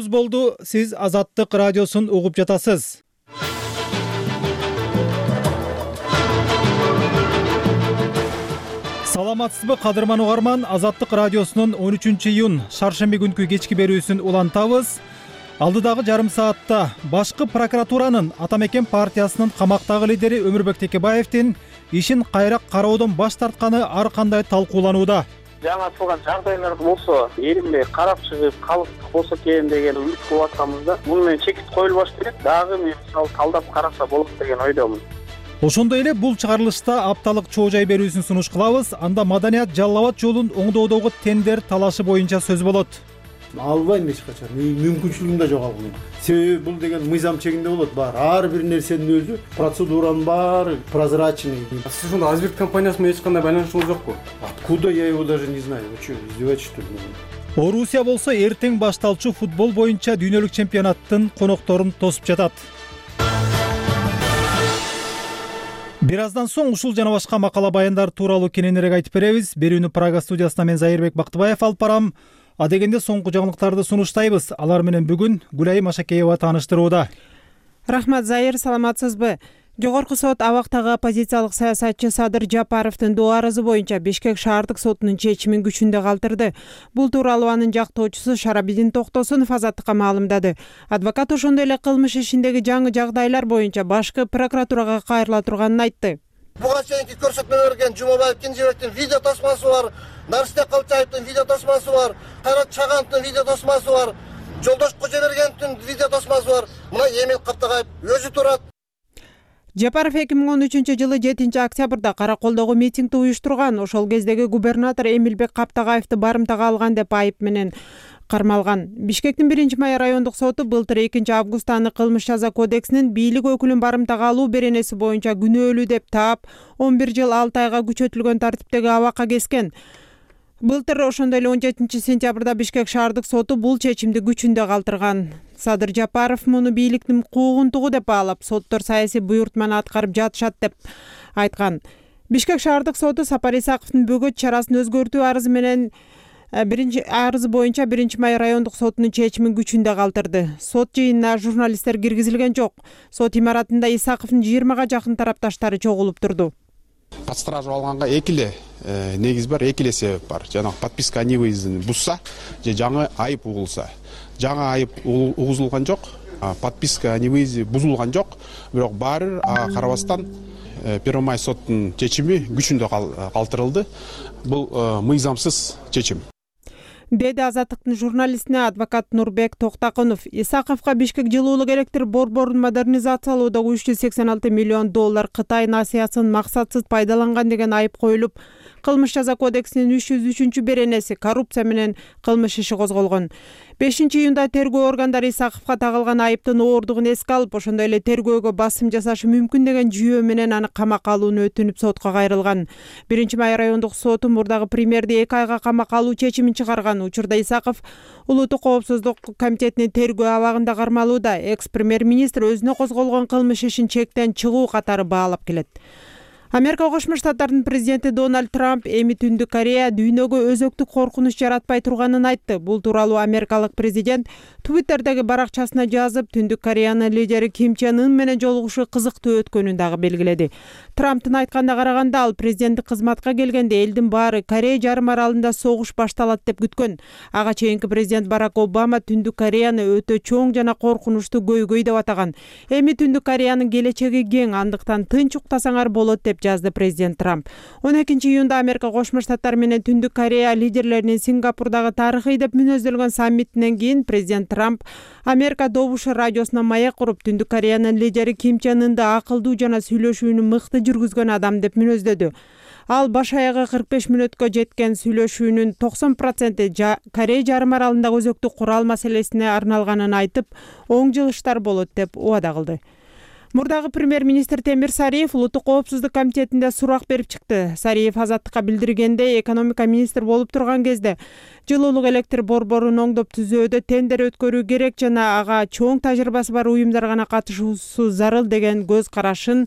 Болду, сиз Азаттык радиосун угуп жатасыз. Саламатсызбы кадырман угарман, Азаттык радиосунун 13-июнь шаршемби күнкү кечки берүүсүн улантабыз. Алдыдагы жарым саатта башкы прокуратуранын Атамекен партиясынын камактагы лидери Өмүрбек Текебаевдин ишин кайра кароодон баш тартканы ар кандай талкууланууда. Жаңа атылган жагдайлар болсо, эринбей карап чыгып, калыстык болсо экен деген үмүт кылып атканбызда, муну менен чекит коюлбаш керек. Дагы мен мисалы талдап караса болот деген ойдомун. Ошондой эле бул чыгарылышта апталык чоо жай берүүсүн сунуш кылабыз. Анда Маданият Жалал Абад жолун оңдоодогу тендер талашы боюнча сөз болот. Албайм эч качан. Мүмкүнчүлүгүм да жок ал. Себеби бул деген мыйзам чегинде болот. Бар ар бир нерсенин өзү процедуранын баары прозрачный. Сиз ушунда Азбек компаниясы менен эч кандай байланышыңыз жокпу? Откуда я его даже не знаю. Вы что, издеваетесь что ли? Орусия болсо эртең башталчу футбол боюнча дүйнөлүк чемпионаттын конокторун тосуп жатат. Бир аздан соң ушул жана башка макала баяндар тууралуу кененирээк айтып беребиз. Берүүнү Прага студиясынан мен Зайырбек Бактыбаев алып барам. Адегенде соңку жаңылыктарды сунуштайбыз. Алар менен бүгүн Гүлайым Ашакеева тааныштырууда. Рахмат, Зайыр, саламатсызбы? Жогорку сот абактагы оппозициялык саясатчы Садыр Жапаровдун доо арызы боюнча Бишкек шаардык сотунун чечимин күчүндө калтырды. Бул тууралуу анын жактоочусу Шарабидин Токтосунов Азаттыкка маалымдады. Адвокат ошондой эле кылмыш ишиндеги жаңы жагдайлар боюнча башкы прокуратурага кайрыла турганын айтты. Буга чейинки көрсөтмө берген Жумабаев Кенжебектин видео тосмасы бар, Нарсте Калчаевдин видео тосмасы бар, Кайрат Чагановдун видео тосмасы бар, Жолдош Кожобергеновдун видео тосмасы бар. Мына Эмил Каптагаев өзү турат. Жапаров 2013-жылы 7-октябрда Караколдогу митингди уюштурган. Ошол кездеги губернатор Эмилбек Каптагаевди барымтага алган деп айып менен кармалган. Бишкектин 1-май райондук соту былтыр 2-августта аны кылмыш жаза кодексинин бийлик өкүлүн барымтага алуу беренеси боюнча күнөөлүү деп таап 11 жыл 6 айга күчөтүлгөн тартиптеги абакка кескен. Былтыр ошондой эле 17-сентябрда Бишкек шаардык соту бул чечимди күчүндө калтырган. Садыр Жапаров муну бийликтин куугунтугу деп баалап, соттор саясий буйртманы аткарып жатышат деп айткан. Бишкек шаардык соту Сапар Исаковдун бөгөт чарасын өзгөртүү арызы менен арызы боюнча 1-май райондук сотунун чечимин күчүндө калтырды. Сот жыйынына журналисттер киргизилген жок. Сот имаратында Исаковдун 20га жакын тарапташтары чогулуп турду. Под стражу алганга эки эле негиз бар, эки эле себеп бар. Жана подписка о невыездин бузса же жаңы айып угулса. Жаңы айып угузулган жок, подписка о невыезде бузулган жок, бирок баары карабастан 1-май соттун чечими күчүндө калтырылды. Бул мыйзамсыз чечим. Деди Азаттыктын журналистине адвокат Нурбек Токтакунов. Исаковго Бишкек жылуулук электр борборун модернизациялоодо 386 миллион доллар Кытай насыясын максатсыз пайдаланган деген айып коюлуп, кылмыш жаза кодексинин 303 беренеси коррупция менен кылмыш иши козголгон. 5-июнда тергөө органдары Исаковго тагылган айыптын ооругун эске алып, ошондой эле тергөөгө басым жасашы мүмкүн деген жүйөө менен аны камакка алууну өтүнүп сотко кайрылган. 1-май райондук соту мурдагы премьерди 2 айга камакка алуу чечимин чыгарган. Учурда Исаков Улуттук коопсуздук комитетинин тергөө абагында кармалууда. Экс-премьер-министр өзүнө козголгон кылмыш ишин чектен чыгуу катары баалап келет. Америка Кошмо Штаттарынын президенти Дональд Трамп эми Түндүк Корея дүйнөгө өзөктүк коркунуч жаратпай турганын айтты. Бул тууралуу америкалык президент Twitterдеги баракчасына жазып, Түндүк Кореянын лидери Ким Чен Ын менен жолугушуу кызыктуу өткөнүн дагы белгиледи. Трамптын айтканына караганда, ал президенттик кызматка келгенде элдин баары Корея жарым аралында согуш башталат деп күткөн. Ага чейинки президент Барак Обама Түндүк Кореяны өтө чоң жана коркунучтуу көйгөй деп атаган. Эми Түндүк Кореянын келечеги кең, андыктан тынч уктасаңар болот деп жазды президент Трамп. 12-июнда Америка Кошмо Штаттары менен Түндүк Корея лидерлеринин Сингапурдагы тарыхый деп мүнөздөлгөн саммитинен кийин президент Трамп Америка добушу радиосуна маек куруп, Түндүк Кореянын лидери Ким Чен Ынды акылдуу жана сүйлөшүүнү мыкты жүргүзгөн адам деп мүнөздөдү. Ал баш аягы 45 мүнөткө жеткен сүйлөшүүнүн 90% Корея жарым аралындагы өзөктүк курал маселесине арналганын айтып, оң жылыштар болот деп убада кылды. Мурдагы премьер-министр Темир Сариев Улуттук коопсуздук комитетинде сурак берип чыкты. Сариев Азаттыкка билдиргенде, экономика министр болуп турган кезде жылуулук электр борборун оңдоп түзүүдө тендер өткөрүү керек жана ага чоң тажрыйбасы бар уюмдар гана катышуусу зарыл деген көз карашын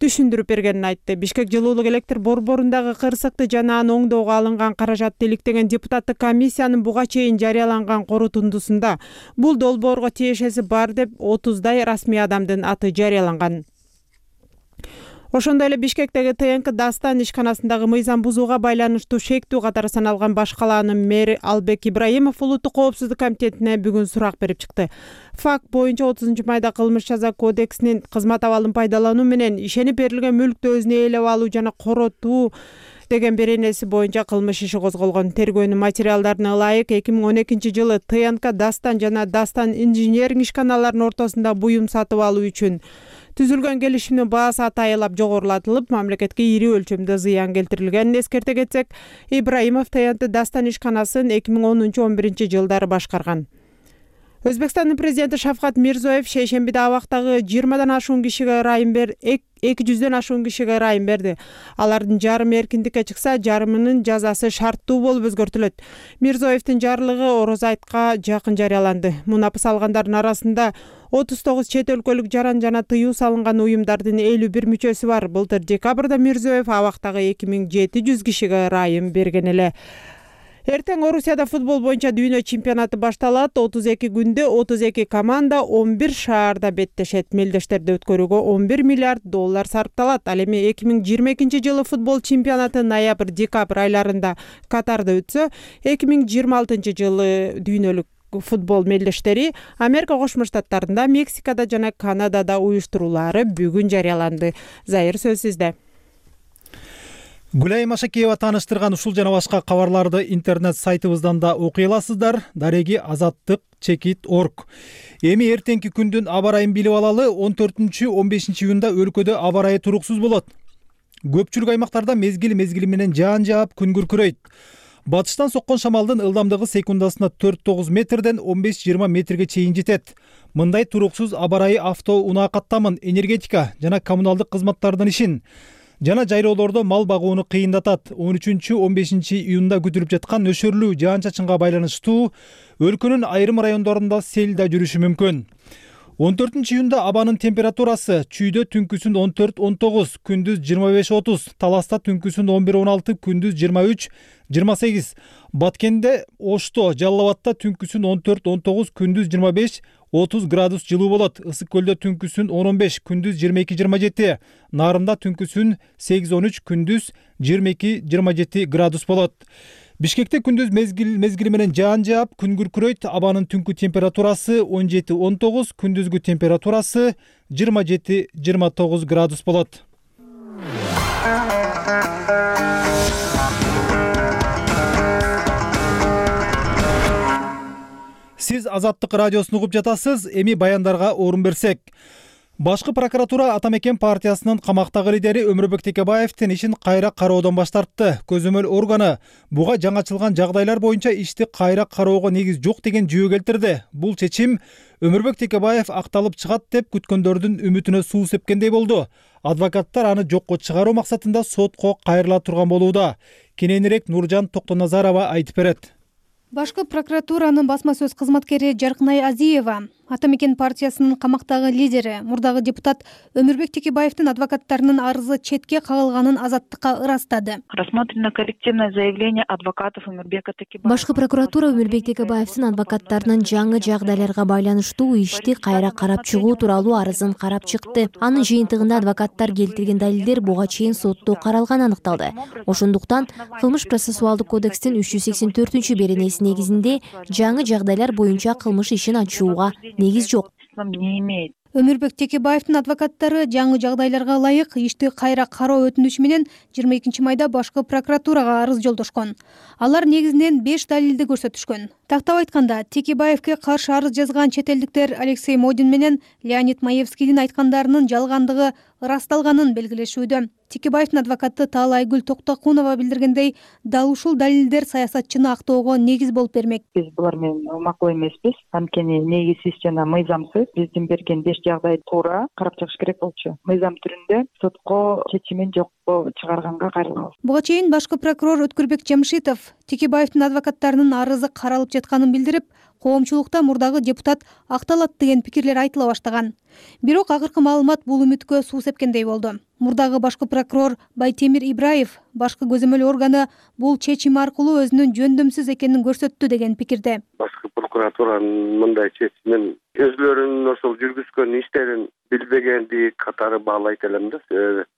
түшүндүрүп бергенин айтты. Бишкек жылуулук электр борборундагы кырсыкты жана аны оңдоого алынган каражатты иликтеген депутаттык комиссиянын буга чейин жарыяланган корутундусунда бул долбоорго тиешеси бар деп 30дай расмий адамдын аты жарыяланган. Ошондой эле Бишкектеги ТНК Дастан ишканасындагы мыйзам бузууга байланыштуу шектүү катары саналган баш калаанын мэри Албек Ибраимов Улуттук коопсуздук комитетине бүгүн сурак берип чыкты. Факт боюнча 30-майда кылмыш жаза кодексинин кызмат абалын пайдалануу менен ишенип берилген мүлктү өзүнө ээлеп алуу жана коротуу деген беренеси боюнча кылмыш иши козголгон. Тергөөнүн материалдарына ылайык 2012-жылы ТНК Дастан жана Дастан инженеринг ишканаларынын ортосунда буюм сатып алуу үчүн түзүлгөн келишимдин баасы атайылап жогорулатылып, мамлекетке ири өлчөмдө зыян келтирилгенин эскерте кетсек, Ибраимов ТНК Дастан ишканасын 2010-11 жылдары башкарган. Өзбекстандын президенти Шавкат Мирзиёев шейшембиде абактагы 20-дан ашуун кишиге ырайым 200-дөн ашуун кишиге ырайым берди. Алардын жарымы эркиндикке чыкса, жарымынын жазасы шарттуу болуп өзгөртүлөт. Мирзиёевдин жарлыгы Ороз айтка жакын жарыяланды. Мунапыс алгандардын арасында 39 чет өлкөлүк жаран жана тыюу салынган уюмдардын 51 мүчөсү бар. Былтыр декабрда Мирзиёев абактагы 2700 кишиге ырайым берген эле. Эртең Орусияда футбол боюнча дүйнө чемпионаты башталат. 32 күндө 32 команда 11 шаарда беттешет. Мелдештерди өткөрүүгө $11 миллиард сарпталат. Ал эми 2022-жылы футбол чемпионаты ноябрь-декабрь айларында Катарда өтсө, 2026-жылы дүйнөлүк футбол мелдештери Америка Кошмо Штаттарында, Мексикада жана Канадада уюштурулары бүгүн жарыяланды. Зайыр сөз сизде. Гүлай Машакиева тааныштырган ушул жана башка кабарларды интернет сайтыбыздан да окуй аласыздар. Дареги azattik.org. Эми эртеңки күндүн аба ырайын билип алалы. 14-15 июнда өлкөдө аба ырайы туруксуз болот. Көпчүлүк аймактарда мезгил менен жаан жаап, күн күркүрөйт. Батыштан соккон шамалдын ылдамдыгы секундасына 4-9 метрден 15-20 метрге чейин жетет. Мындай туруксуз аба ырайы унаа каттамын, энергетика жана коммуналдык кызматтардын ишин жана жайлоолордо мал багууну кыйындатат. 13-15 июнда күтүлүп жаткан нөшөрлүү жаан-чачынга байланыштуу өлкөнүн айрым райондорунда сел да жүрүшү мүмкүн. 14 июнда абанын температурасы чүйдө түнкүсүн 14-19, күндүз 25-30, Таласта түнкүсүн 11-16, күндүз 23-28, Баткенде, Ошто, Жалал Абадта түнкүсүн 14-19, күндүз 25-30 градус жылуу болот. Ысык көлдө түнкүсүн 10-15, күндүз 22-27, Нарында түнкүсүн 8-13, күндүз 22-27 градус болот. Бишкекте күндүз мезгили менен жаан жаап, күн күркүрөйт. Абанын түнкү температурасы 17-19, күндүзгү температурасы 27-29 градус болот. Сиз Азаттык радиосун угуп жатасыз. Эми баяндарга орун берсек. Башкы прокуратура Атамекен партиясынын камактагы лидери Өмүрбек Текебаевдин ишин кайра кароодон баш тартты. Көзөмөл органы буга жаңачылган жагдайлар боюнча ишти кайра кароого негиз жок деген жүйө келтирди. Бул чечим Өмүрбек Текебаев акталып чыгат деп күткөндөрдүн үмүтүнө суу сепкендей болду. Адвокаттар аны жокко чыгаруу максатында сотко кайрыла турган болууда. Кененирээк Нуржан Токтоназарова айтып берет. Башкы прокуратуранын басма сөз кызматкери Жаркынай Азиева Атамекен партиясынын камактагы лидери, мурдагы депутат Өмүрбек Текебаевдин адвокаттарынын арызы четке кагылганын Азаттыкка ырастады. Рассмотрено коллективное заявление адвокатов Өмүрбека Текебаева. Башкы прокуратура Өмүрбек Текебаевдин адвокаттарынын жаңы жагдайларга байланыштуу ишти кайра карап чыгуу тууралуу арызын карап чыкты. Анын жыйынтыгында адвокаттар келтирген далилдер буга чейин сотто каралганы аныкталды. Ошондуктан кылмыш процессуалдык кодекстин 384 беренеси негизинде жаңы жагдайлар боюнча кылмыш ишин ачууга негиз жок. Өмүрбек Текебаевдин адвокаттары жаңы жагдайларга ылайык ишти кайра кароо өтүнүчү менен 22 майда башкы прокуратурага арыз жолдошкон. Алар негизинен 5 далилди көрсөтүшкөн. Тактап айтканда, Текебаевге каршы арыз жазган чет элдиктер Алексей Модин менен Леонид Маевскийдин айткандарынын жалгандыгы ырасталганын белгилешүүдө. Текебаевдин адвокаты Таалайгүл Токтокунова билдиргендей, дал ушул далилдер саясатчыны актоого негиз болуп бермек. Биз булар менен макул эмеспиз. Анткени негизсиз жана мыйзамсыз биздин берген 5 жагдай туура карап чыгыш керек болчу. Мыйзам түрүндө сотко чечимин жокко чыгарганга кайрылабыз. Буга чейин башкы прокурор Өткүрбек Жамшитов Текебаевдин адвокаттарынын арызы каралып жатканын билдирип, коомчулукта мурдагы депутат акталат деген пикирлер айтыла баштаган. Бирок акыркы маалымат бул үмүткө суу сепкендей болду. Мурдагы башкы прокурор Байтемир Ибраев башкы көзөмөл органы бул чечим аркылуу өзүнүн жөндөмсүз экенин көрсөттү деген пикирде. Башкы прокуратуранын мындай чечимин өзүлөрүнүн ошол жүргүзгөн иштерин билбегенди катары баалайт элем да.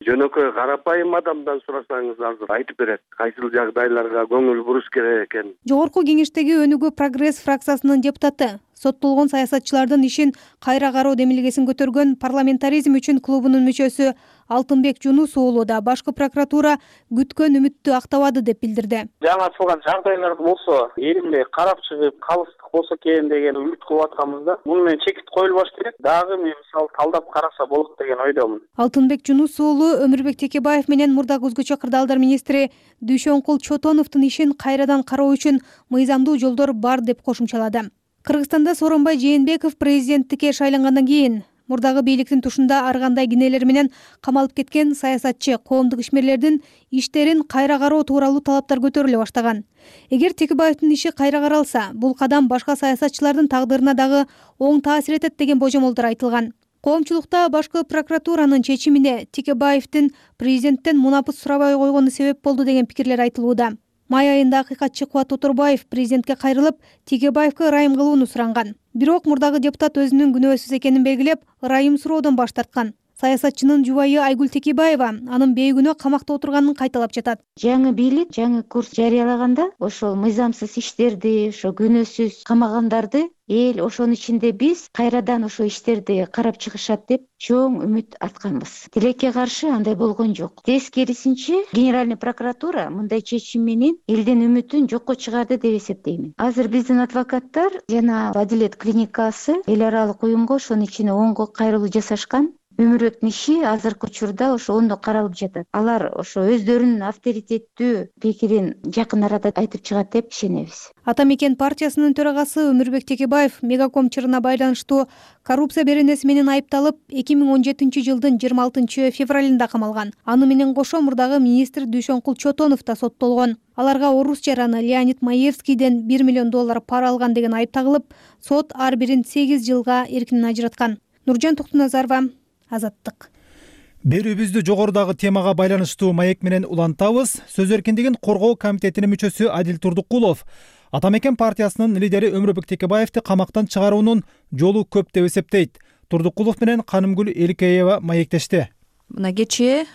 Жөнөкөй карапайым адамдан сурасаңыз азыр айтып берет кайсыл жагдайларга көңүл буруш керек экенин. Жогорку кеңештеги Өнүгүү Прогресс фракциясынын депутаты, соттолгон саясатчылардын ишин кайра кароо демилгесин көтөргөн парламентаризм үчүн клубунун мүчөсү Алтынбек Жунус уулу да башкы прокуратура күткөн үмүттү актабады деп билдирди. Жаңы ачылган жагдайлар болсо, элимбей карап чыгып калыстык болсо экен деген үмүт кылып атканбыз да. Муну менен чекит коюлбаш керек. Дагы мен мисалы талдап караса болот деген ойдомун. Алтынбек Жунус уулу Өмүрбек Текебаев менен мурдагы өзгөчө кырдаалдар министри Дүйшөнкул Чотоновдун ишин кайрадан кароо үчүн мыйзамдуу жолдор бар деп кошумчалады. Кыргызстанда Сооронбай Жээнбеков президенттикке шайлангандан кийин мурдагы бийликтин тушунда ар кандай кинелер менен камалып кеткен саясатчы, коомдук ишмерлердин иштерин кайра кароо тууралуу талаптар көтөрүлө баштаган. Эгер Текебаевдин иши кайра каралса, бул кадам башка саясатчылардын тагдырына дагы оң таасир этет деген божомолдор айтылган. Коомчулукта башкы прокуратуранын чечимине Текебаевдин президенттен мунапыс сурабай койгону себеп болду деген пикирлер айтылууда. Май айында акыйкатчы Кубат Оторбаев президентке кайрылып, Текебаевге ырайым кылууну суранган. Бирок мурдагы депутат өзүнүн күнөөсүз экенин белгилеп, ырайым суроодон баш тарткан. Саясатчынын жубайы Айгүл Текебаева анын бейгүнөө камакта отурганын кайталап жатат. Жаңы бийлик жаңы курс жарыялаганда ошол мыйзамсыз иштерди, ошо күнөөсүз камагандарды эл ошонун ичинде биз кайрадан ошо иштерди карап чыгышат деп чоң үмүт артканбыз. Тилекке каршы андай болгон жок. Тескерисинче, Генеральный прокуратура мындай чечим менен элдин үмүтүн жокко чыгарды деп эсептеймин. Азыр биздин адвокаттар жана Адилет клиникасы эл аралык уюмга ошонун ичине оңго кайрылуу жасашкан. Өмүрбектин иши азыркы учурда ошо оңдо каралып жатат. Алар ошо өздөрүнүн авторитеттүү пикирин жакын арада айтып чыгат деп ишенебиз. Ата мекен партиясынын төрагасы Өмүрбек Текебаев Мегаком чырына байланыштуу коррупция беренеси менен айыпталып 2017 жылдын 26 февралында камалган. Аны менен кошо мурдагы министр Дүйшөнкул Чотонов да соттолгон. Аларга орус жараны Леонид Маевскийден $1 миллион пара алган деген айып тагылып, сот ар бирин 8 жылга эркинен ажыраткан. Нуржан Токтуназарова, Азаттык. Берүүбүздү жогорудагы темага байланыштуу маек менен улантабыз. Сөз эркиндигин коргоо комитетинин мүчөсү Адил Турдукулов Ата мекен партиясынын лидери Өмүрбек Текебаевди камактан чыгаруунун жолу көп деп эсептейт. Турдукулов менен Канымгүл Эликеева маектешти. Мына кечээ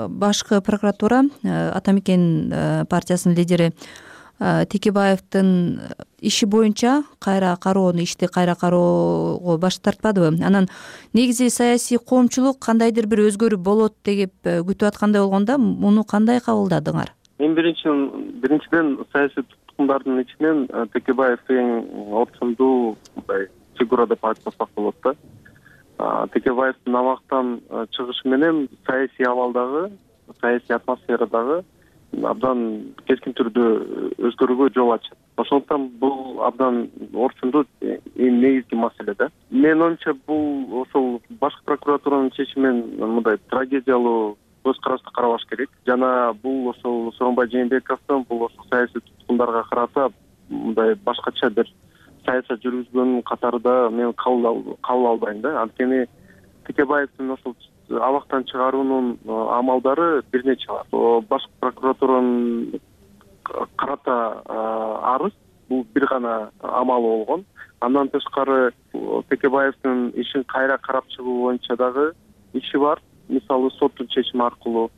башкы прокуратура Ата мекен партиясынын лидери Текебаевдин иши боюнча ишти кайра кароого баш тартпадыбы? Анан негизи саясий коомчулук кандайдыр бир өзгөрүү болот деп күтүп аткандай болгондо муну кандай кабылдадыңар? Эң биринчиден саясий туткундардын ичинен Текебаев эң орчундуу фигура деп айтсак болот да. Текебаевдин абактан чыгышы менен саясий абалдагы, саясий атмосферадагы абдан кескин түрдө өзгөрүүгө жол ачат. Ошондуктан бул абдан орчундуу эң негизги маселе да. Менин оюмча бул ошол башкы прокуратуранын чечимин мындай трагедиялуу көз карашты карабаш керек. Жана бул ошол Сооронбай Жээнбековдун бул ошол саясий туткундарга карата мындай башкача бир саясат жүргүзгөнүн катарында мен кабыл албайм да. Анткени Текебаевдин ошол абактан чыгаруунун амалдары бир нече бар. Башкы прокуратуранын карата арыз бул бир гана амалы болгон. Андан тышкары Текебаевдин ишин кайра карап чыгуу боюнча дагы иши бар. Мисалы соттун чечими аркылуу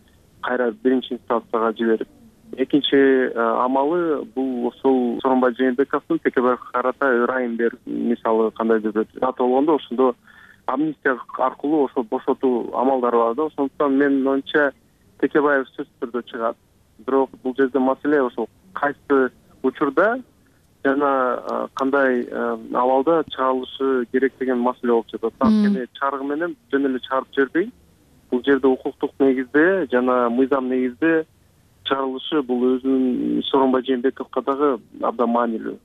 кайра биринчи инстанцияга жиберип. Экинчи амалы бул ошол Сооронбай Жээнбековдун Текебаевге карата ырайым берип, мисалы кандайдыр бир дата болгондо ошондо амнистия аркылуу ошол бошотуу амалдары бар да. Ошондуктан менин оюмча Текебаев сөзсүз түрдө чыгат. Бирок бул жерде маселе ошол кайсы учурда жана кандай абалда чыгарылышы керек деген маселе болуп жатат. Анткени чаргы менен жөн эле чыгарып жибербей, бул жерде укуктук негизде жана мыйзам негизде чыгарылышы бул өзүнүн Сооронбай Жээнбековго дагы абдан маанилүү.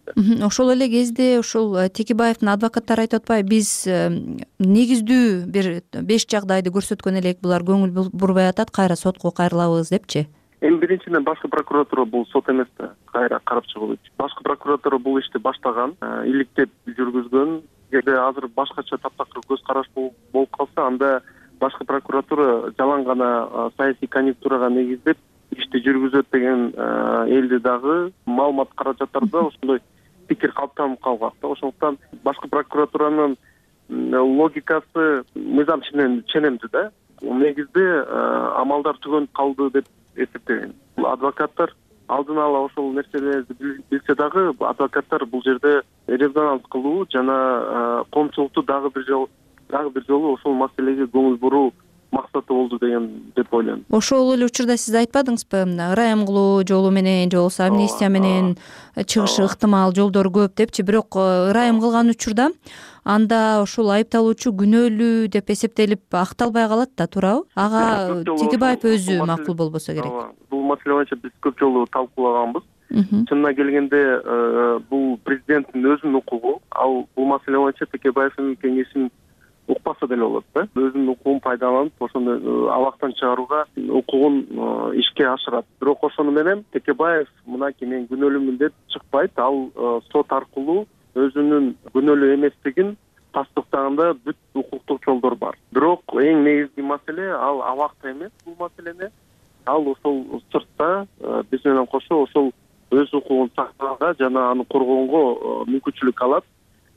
Ошол эле кезде ошол Текебаевдин адвокаттары айтып атпайбы, биз негиздүү бир 5 жагдайды көрсөткөн элек, булар көңүл бурбай атат, кайра сотко кайрылабыз депчи? Эми биринчиден башкы прокуратура бул сот эмес да, кайра карап чыгуу. Башкы прокуратура бул ишти баштаган, иликтеп жүргүзгөн. Эгерде азыр башкача таптакыр көз караш болуп калса, анда башкы прокуратура жалаң гана саясий конъюнктурага негиздеп ишти жүргүзөт деген элди дагы маалымат каражаттарда ошондой пикир калыптанып калгак да. Ошондуктан башкы прокуратуранын логикасы мыйзам менен ченемдүү да. Негизде амалдар түгөнүп калды деп эсептейм. Адвокаттар алдын ала ошол нерселерди билсе дагы, адвокаттар бул жерде резонанс кылуу жана коомчулукту дагы бир жолу ошол маселеге көңүл буруу максаты болду деп ойлойм. Ошол эле учурда сиз айтпадыңызбы, ырайым кылуу жолу менен же болбосо амнистия менен чыгышы ыктымал жолдор көп депчи, бирок ырайым кылган учурда анда ошол айыпталуучу күнөөлүү деп эсептелип акталбай калат да, туурабы? Ага Тегебаев өзү макул болбосо керек. Бул маселе боюнча биз көп жолу талкуулаганбыз. Чынына келгенде бул президенттин өзүнүн укугу. Ал бул маселе боюнча Текебаевдин кеңешин укпаса деле болот да. Өзүнүн укугун пайдаланып, ошону абактан чыгарууга укугун ишке ашырат. Бирок ошону менен Текебаев мынакей мен күнөөлүүмүн деп чыкпайт. Ал сот аркылуу өзүнүн күнөөлүү эместигин тастыктаганда бүт укуктук жолдор бар. Бирок эң негизги маселе ал абакта эмес, бул маселени ал ошол сыртта биз менен кошо ошол өз укугун сактаганга жана аны коргоонго мүмкүнчүлүк алат.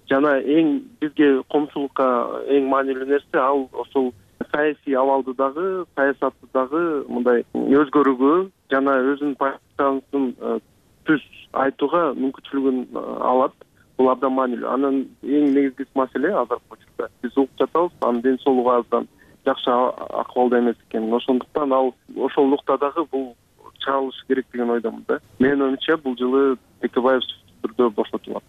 Жана эң бизге коомчулукка эң маанилүү нерсе ал ошол саясий абалды дагы, саясатты дагы мындай өзгөрүүгө жана өзүнүн позициясын түз айтууга мүмкүнчүлүгүн алат. Бул абдан маанилүү. Анын эң негизги маселе азыркы учурда биз угуп жатабыз, анын ден соолугу аздан жакшы акыбалда эмес экенин. Ошондуктан ал ошол нуктадагы бул чыгарылышы керек деген ойдомун да. Менин оюмча бул жылы Текебаев түрдө бошотулат.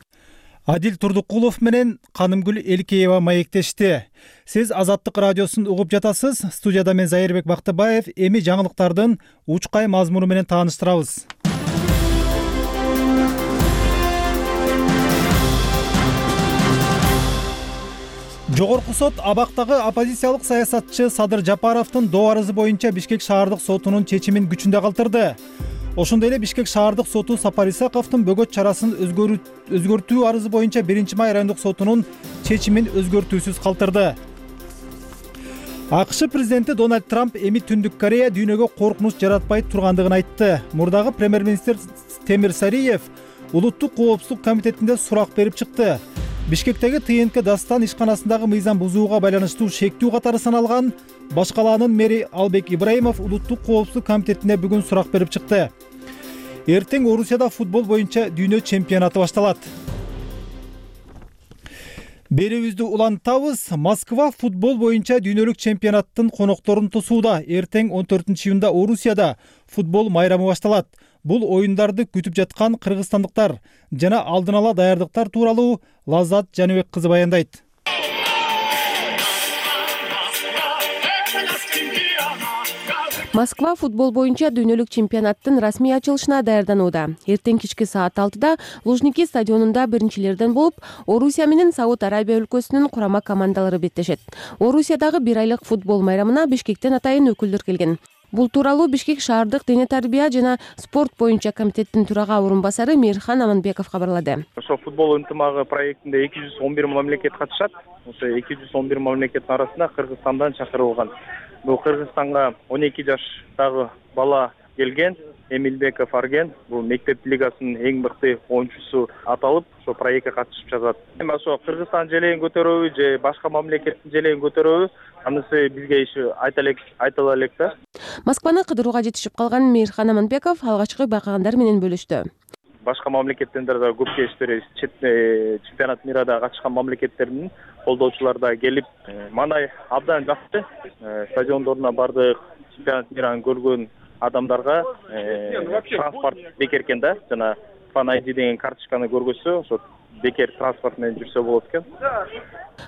Адил Турдукулов менен Канымгүл Элкеева маектешти. Сиз Азаттык радиосун угуп жатасыз. Студияда мен Зайырбек Бактыбаев. Эми жаңылыктардын учкай мазмуну менен тааныштырабыз. Жогорку сот абактагы оппозициялык саясатчы Садыр Жапаровдун доо арызы боюнча Бишкек шаардык сотунун чечимин күчүндө калтырды. Ошондой эле Бишкек шаардык соту Сапар Исаковдун бөгөт чарасын өзгөртүү арызы боюнча 1-май райондук сотунун чечимин өзгөртүүсүз калтырды. АКШ президенти Дональд Трамп эми Түндүк Корея дүйнөгө коркунуч жаратпай тургандыгын айтты. Мурдагы премьер-министр Темир Сариев улуттук коопсуздук комитетинде сурак берип чыкты. Бишкектеги ТНК Дастан ишканасындагы мыйзам бузууга байланыштуу шектүү катары саналган Баш калаанын мэри Албек Ибраимов улуттук коопсуздук комитетине бүгүн сурак берип чыкты. Эртең Орусияда футбол боюнча дүйнө чемпионаты башталат. Берүүбүздү улантабыз. Москва футбол боюнча дүйнөлүк чемпионаттын конокторун тосууда. Эртең 14-июнда Орусияда футбол майрамы башталат. Бул оюндарды күтүп жаткан кыргызстандыктар жана алдын ала даярдыктар тууралуу Лаззат Жаныбек кызы баяндайт. Москва футбол боюнча дүйнөлүк чемпионаттын расмий ачылышына даярданууда. Эртең кечки саат 6-да Лужники стадионунда биринчилерден болуп, Орусия менен Сауд Арабия өлкөсүнүн курама командалары беттешет. Орусиядагы 1 айлык футбол майрамына Бишкектен атайын өкүлдөр келген. Бул тууралуу Бишкек шаардык дене тарбия жана спорт боюнча комитеттин төрага орун басары Мейирхан Аманбеков кабарлады. Ошо футбол ынтымагы проектинде 211 мамлекет катышат. Ошо 211 мамлекеттин арасында Кыргызстандан чакырылган. Бул Кыргызстанга 12 жаштагы бала келген, Эмилбеков Арген. Бул мектеп лигасынын эң мыкты оюнчусу аталып, ошо проектке катышып жатат. Эми ошо Кыргызстан желегин көтөрөбү же башка мамлекеттин желегин көтөрөбү, анысы бизге иши айтала элек да. Москваны кыдырууга жетишип калган Мейирхан Аманбеков алгачкы байкагандар менен бөлүштү. Башка мамлекеттен да көп кештер, чемпионат мирада катышкан мамлекеттердин колдоочулары да келип, мандай абдан жакшы. Стадиондоруна бардык, чемпионат мираны көргөн адамдарга транспорт бекер экен да, жана Fan ID деген карточканы көргөзсө, ошо бекер транспорт менен жүрсө болот экен.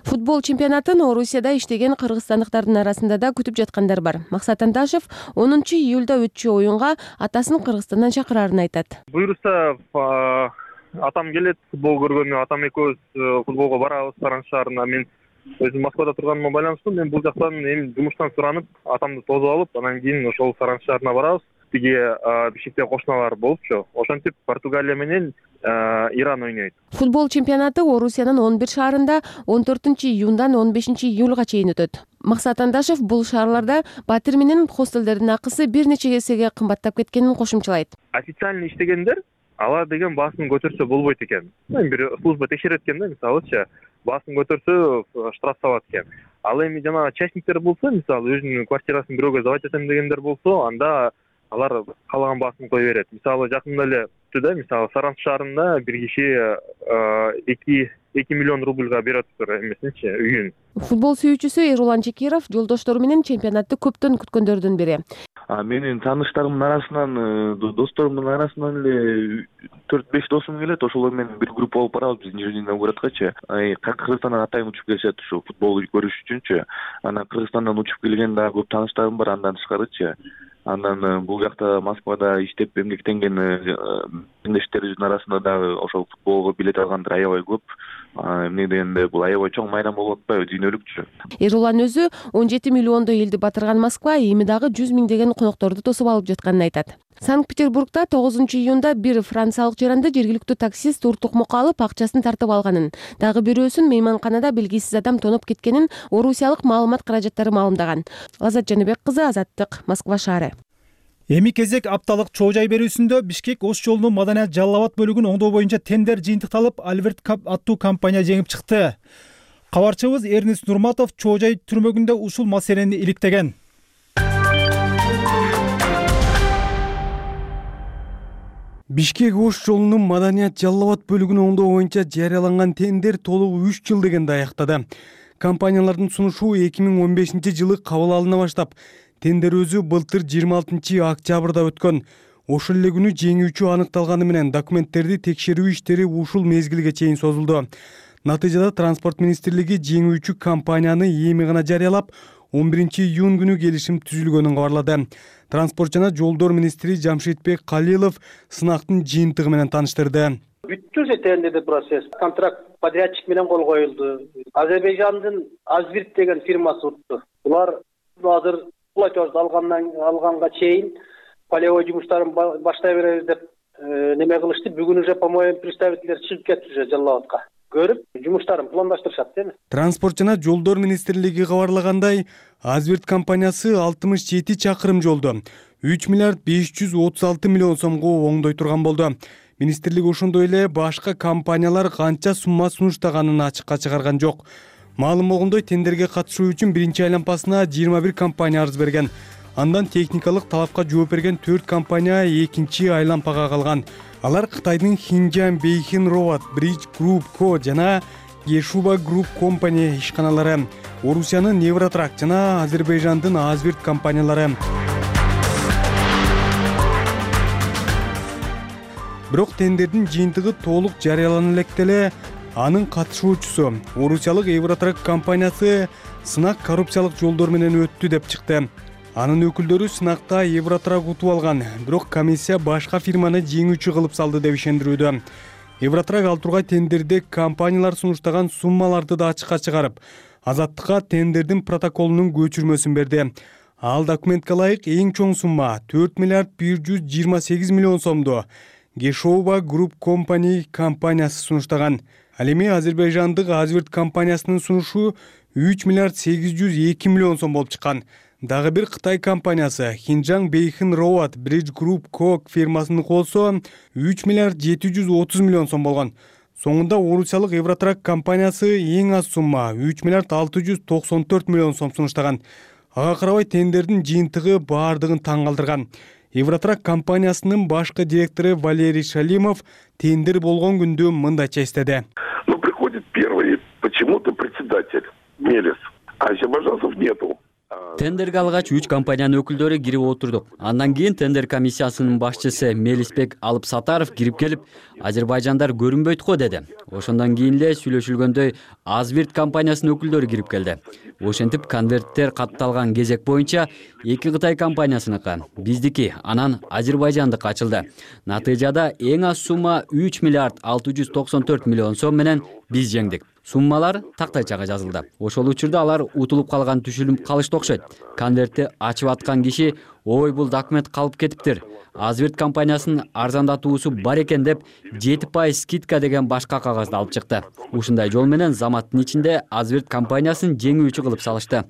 Футбол чемпионатын Орусияда иштеген кыргызстандыктардын арасында да күтүп жаткандар бар. Максат Анташев 10-июлда өтчү оюнга атасын Кыргызстандан чакырарын айтат. Буюрса атам келет, футбол көргөнү, атам экөөбүз футболго барабыз Саран шаарына. Мен өзүм Москвада турганыма байланыштуу, мен бул жактан эми жумуштан суранып, атамды тосуп алып, анан кийин ошол Саран шаарына барабыз. тиги Бишкектеги кошуналар болупчу. Ошентип Португалия менен Иран ойнойт. Футбол чемпионаты Орусиянын 11 шаарында 14-июндан 15-июлга чейин өтөт. Максат Андашев бул шаарларда батир менен хостелдердин акысы бир нече эсеге кымбаттап кеткенин кошумчалайт. Официально иштегендер алар деген баасын көтөрсө болбойт экен. Бир служба текшерет экен да, мисалычы баасын көтөрсө штраф салат экен. Ал эми жана частниктер болсо, мисалы өзүнүн квартирасын бирөөгө сдавать этем дегендер болсо, анда алар каалаган баасын кое берет. Мисалы жакында эле да, мисалы Саранск шаарында бир киши 2 миллион рубльга берип атыптыр эмесинчи үйүн. Футбол сүйүүчүсү Эрулан Чекиров жолдоштору менен чемпионатты көптөн күткөндөрдүн бири. Менин тааныштарымдын арасынан, досторумдун арасынан эле 4-5 досум келет. Ошолор менен бир группа болуп барабыз биз нижний новгородкачы. Кыргызстандан атайын учуп келишет ушу футбол көрүш үчүнчү. Анан Кыргызстандан учуп келген дагы көп тааныштарым бар андан тышкарычы. Анан бул жакта Москвада иштеп эмгектенген меңдештерибиздин арасында дагы ошол футболго билет алгандар аябай көп. Эмне дегенде бул аябай чоң майдан болуп атпайбы, дүйнөлүкчү. Эрулан өзү 17 миллиондой элди батырган Москва эми дагы 100 миңдеген конокторду тосуп алып жатканын айтат. Санкт-Петербургда 9-июнда бир франциялык жаранды жергиликтүү таксист уртукмукка алып акчасын тартып алганын, дагы бирөөсүн мейманканада белгисиз адам тоноп кеткенин орусиялык маалымат каражаттары маалымдаган. Азат Жаныбек кызы, Азаттык, Москва шаары. Эми кезек апталык чоо жай берүүсүндө Бишкек Ош жолунун Маданият Жалал Абад бөлүгүн оңдоо боюнча тендер жыйынтыкталып, Альберт Кап аттуу компания жеңип чыкты. Кабарчыбыз Эрнест Нурматов чоо жай түрмөгүндө ушул маселени иликтеген. Бишкек Ош жолунун Маданият Жалал Абад бөлүгүн оңдоо боюнча жарыяланган тендер толугу 3 жыл дегенде аяктады. Компаниялардын сунушу 2015-жылы кабыл алына баштап, тендер өзү былтыр 26-октябрда өткөн. Ошол эле күнү жеңүүчү аныкталганы менен документтерди текшерүү иштери ушул мезгилге чейин созулду. Натыйжада Транспорт министрлиги жеңүүчү компанияны эми гана жарыялап, 11-июнь күнү келишим түзүлгөнүн кабарлады. Транспорт жана жолдор министри Жамшитбек Калилов сынактын жыйынтыгы менен тааныштырды. Бүттү тендердик процесс. Контракт подрядчик менен кол коюлду. Азербайжандын Азбирт деген фирмасы утту. Булар азыр платеж алганга чейин полевой жумуштарын баштай беребиз деп неме кылышты. Бүгүн уже, по-моему, представительдер чыгып кетти уже Жалал Абадка. Көрүп, жумуштарын пландаштырышат, эми. Транспорт жана жолдор министрлиги кабарлагандай, Азбирт компаниясы 67 чакырым жолду 3 миллиард 536 миллион сомго оңдой турган болду. Министрлик ошондой эле башка компаниялар канча сумма сунуштаганын ачыкка чыгарган жок. Маалым болгондой, тендерге катышуу үчүн биринчи айланпасына 21 компания арыз берген. Андан техникалык талапка жооп берген 4 компания экинчи айланпага калган. Алар Кытайдын Xinjiang Beihai Road Bridge Group Co жана Geshuba Group Company ишканалары, Орусиянын Невротрак жана Азербайжандын Азбирт компаниялары. Бирок тендердин жыйынтыгы толук жарыялана электе эле анын катышуучусу Орусиялык Евротрак компаниясы сынак коррупциялык жолдор менен өттү деп чыкты. Анын өкүлдөрү сынакта Евротрак утуп алган, бирок комиссия башка фирманы жеңүүчү кылып салды деп ишендирүүдө. Евротрак ал тургай тендерде компаниялар сунуштаган суммаларды да ачыкка чыгарып, Азаттыкка тендердин протоколунун көчүрмөсүн берди. Ал документке ылайык эң чоң сумма 4 миллиард 128 миллион сомду Geshuba Group Company компаниясы сунуштаган. Ал эми Азербайжандык Азбирт компаниясынын сунушу 3 миллиард 802 миллион сом болуп чыккан. Дагы бир Кытай компаниясы Xinjiang Beihai Road Bridge Group Co фирмасынын колсо 3 миллиард 730 миллион сом болгон. Соңунда Орусиялык Евротрак компаниясы эң аз сумма 3 миллиард 694 миллион сом сунуштаган. Ага карабай тендердин жыйынтыгы баардыгын таң калтырган. Евротрак компаниясынын башкы директору Валерий Шалимов тендер болгон күндү мындайча эстеди. Ну, приходит первый почему-то председатель Мелис, а азербайджанцев нету. Тендерге алгач 3 компаниянын өкүлдөрү кирип отурдук. Андан кийин тендер комиссиясынын башчысы Мелисбек Алыпсатаров кирип келип, азербайжандар көрүнбөйт го деди. Ошондон кийин эле сүйлөшүлгөндөй Азбирт компаниясынын өкүлдөрү кирип келди. Ошентип конверттер катталган кезек боюнча 2 Кытай компаниясыныкы, биздики, анан Азербайжандык ачылды. Натыйжада эң аз сумма 3 миллиард 694 миллион сом менен биз жеңдик. Суммалар тактайчага жазылды. Ошол учурда алар утулуп калган түшүнүп калышты окшойт. Конвертти ачып аткан киши ой бул документ калып кетиптир. Азбирт компаниясынын арзандатуусу бар экен деп 7% скидка деген башка кагазды алып чыкты. Ушундай жол менен заматтын ичинде Азбирт компаниясын жеңүүчү кылып салышты.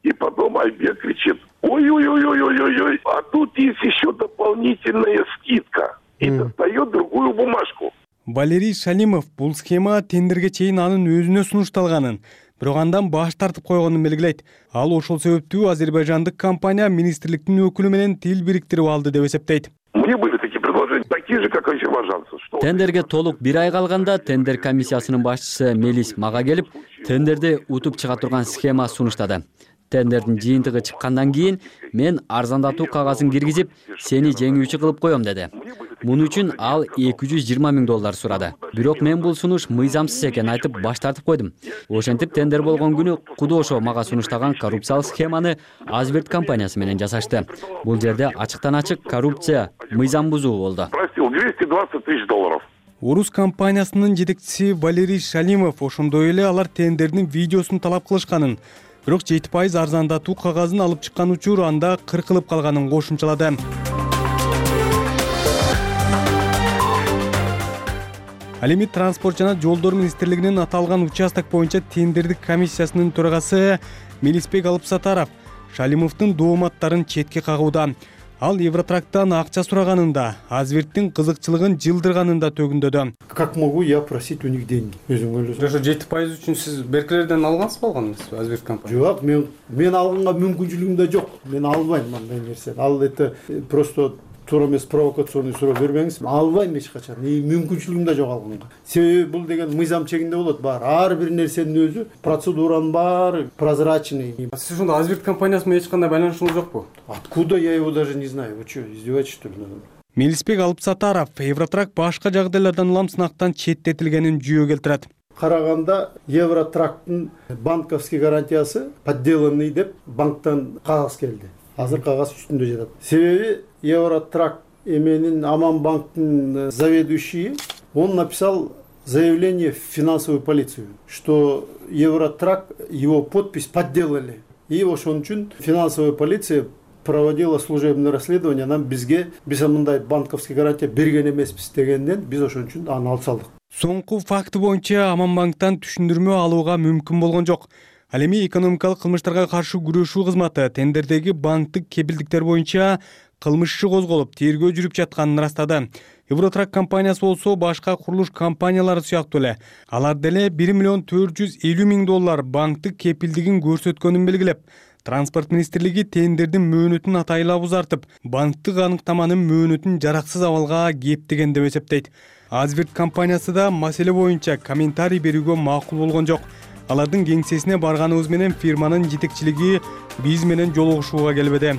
И потом Айбек кричит: ой-ой-ой-ой-ой-ой, а тут есть еще дополнительная скидка. И достает другую бумажку. Валерий Шалимов бул схема тендерге чейин анын өзүнө сунушталганын, бирок андан баш тартып койгонун белгилейт. Ал ошол себептүү азербайжандык компания министрликтин өкүлү менен тил бириктирип алды деп эсептейт. Мне были такие предложения, такие же, как азербайджанцы. Тендерге толук 1 ай калганда тендер комиссиясынын башчысы Мелис мага келип, тендерди утуп чыга турган схема сунуштады. Тендердин жыйынтыгы чыккандан кийин мен арзандатуу кагазын киргизип, сени жеңүүчү кылып коем деди. Муну үчүн ал $220 000 сурады. Бирок мен бул сунуш мыйзамсыз экенин айтып баш тартып койдум. Ошентип тендер болгон күнү Кудошо мага сунуштаган коррупциялык схеманы Азбирт компаниясы менен жасашты. Бул жерде ачыктан ачык коррупция, мыйзам бузуу болду. Просил $220 000. Урус компаниясынын жетекчиси Валерий Шалимов ошондой эле алар тендердин видеосун талап кылышканын, бирок 7% арзандатуу кагазын алып чыккан учур анда кыркылып калганын кошумчалады. Ал эми транспорт жана жолдор министрлигинин аталган участок боюнча тендердик комиссиясынын төрагасы Мелисбек Алыпсатаров Шалимовдун дооматтарын четке кагууда. Ал Евротрактан акча сураганын да, Азбирттин кызыкчылыгын жылдырганын да төгүндөдү. Как могу я просить у них деньги? Өзүң ойлосоң. Ошо 7% үчүн сиз беркилерден алгансыз болгонсуз, Азбирт компания? Жок, мен алганга мүмкүнчүлүгүм да жок. Мен албайм андай нерсени. Ал это просто туура эмес провокационный суроо бербеңиз. Албайм эч качан. Мүмкүнчүлүгүм да жок алганга. Себеби бул деген мыйзам чегинде болот. Баары ар бир нерсенин өзү процедуранын баары прозрачный. Сиз ошондо Азбирт компаниясы менен эч кандай байланышыңыз жокпу? Откуда я его даже не знаю? Вы что, издеваетесь что ли? Мелисбек Алыпсатаров Евротрак башка жагдайлардан улам сынактан четтетилгенин жүйө келтирет. Караганда Евротрактын банковский гарантиясы подделанный деп банктан кагаз келди. Азыр кагаз үстүндө жатат. Себеби Евротрак эменин Аманбанктын заведующий, он написал заявление в финансовую полицию, что Евротрак, его подпись подделали. И ошон үчүн финансовая полиция проводила служебное расследование, нам биз мындай банковский гарантия берген эмеспиз дегенден биз ошон үчүн аны алып салдык. Соңку факты боюнча Аманбанктан түшүндүрмө алууга мүмкүн болгон жок. Ал эми экономикалык кылмыштарга каршы күрөшүү кызматы тендердеги банктык кепилдиктер боюнча кылмыш иши козголуп, тергөө жүрүп жатканын ырастады. Евротрак компаниясы болсо башка курулуш компаниялары сыяктуу эле алар деле $1 450 000 банктык кепилдигин көрсөткөнүн белгилеп, Транспорт министрлиги тендердин мөөнөтүн атайылап узартып, банктык аныктаманын мөөнөтүн жараксыз абалга кептеген деп эсептейт. Азбирт компаниясы да маселе боюнча комментарий берүүгө макул болгон жок. Алардын кеңсесине барганыбыз менен фирманын жетекчилиги биз менен жолугушууга келбеди.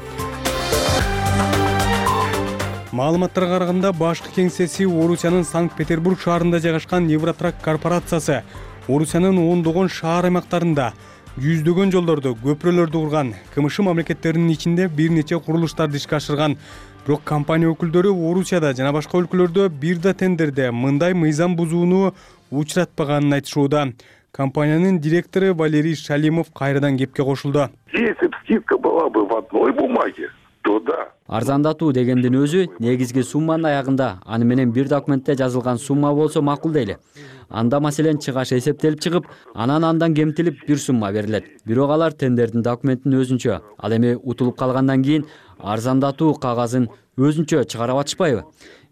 Маалыматтарга караганда башкы кеңсеси Орусиянын Санкт-Петербург шаарында жайгашкан Евротрак корпорациясы Орусиянын ондогон шаар аймактарында жүздөгөн жолдорду, көпүрөлөрдү курган, КМШ мамлекеттеринин ичинде бир нече курулуштарды ишке ашырган. Бирок компания өкүлдөрү Орусияда жана башка өлкөлөрдө бир да тендерде мындай мыйзам бузууну учуратпаганын айтышууда. Компаниянын директору Валерий Шалимов кайрадан кепке кошулду. Если бы скидка была бы в одной бумаге, то да. Арзандатуу дегендин өзү негизги сумманын аягында аны менен бир документте жазылган сумма болсо макул дейли. Анда маселен чыгаш эсептелип чыгып, андан кемтилип бир сумма берилет. Бирок алар тендердин документин өзүнчө, ал эми утулуп калгандан кийин арзандатуу кагазын өзүнчө чыгарып атышпайбы?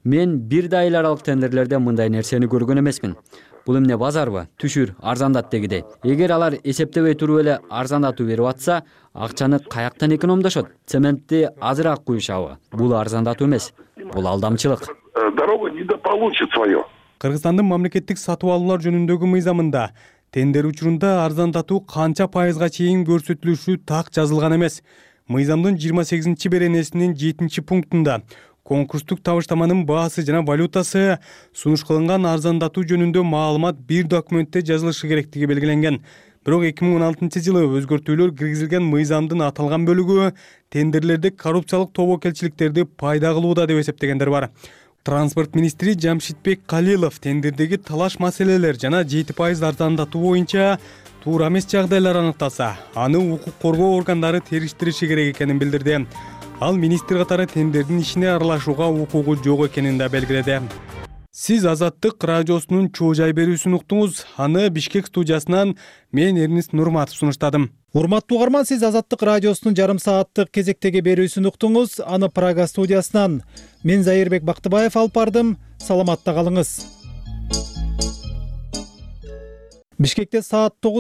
Мен бир да ай аралык тендерлерде мындай нерсени көргөн эмесмин. Бул эмне базарбы? Түшүр, арзандат дегидей. Эгер алар эсептебей туруп эле арзандатуу берип атса, акчаны каяктан экономдошот? Цементти азыраак куюшабы? Бул арзандатуу эмес. Бул алдамчылык. Дорога недополучит свое. Кыргызстандын мамлекеттик сатып алуулар жөнүндөгү мыйзамында тендер учурунда арзандатуу канча пайызга чейин көрсөтүлүшү так жазылган эмес. Мыйзамдын 28 беренесинин 7-пунктунда конкурстук табыштаманын баасы жана валютасы сунуш кылынган арзандатуу жөнүндө маалымат бир документте жазылышы керектиги белгиленген. Бирок 2016-жылы өзгөртүүлөр киргизилген мыйзамдын аталган бөлүгү тендерлерде коррупциялык тобокелчиликтерди пайда кылууда деп эсептегендер бар. Транспорт министри Жамшитбек Калилов тендердеги талаш маселелер жана 7% арзандатуу боюнча туура эмес жагдайлар аныкталса, аны укук коргоо органдары териштириши керек экенин билдирди. Ал министр катары тендердин ишине аралашууга укугу жок экенин да белгиледи. Сиз Азаттык радиосунун чоо жай берүүсүн уктуңуз. Аны Бишкек студиясынан мен Эрнис Нурматов сунуштадым. Урматтуу угарман, сиз Азаттык радиосунун жарым сааттык кезектеги берүүсүн уктуңуз. Аны Прага студиясынан мен Зайырбек Бактыбаев алып бардым. Саламатта калыңыз. Бишкекте саат 9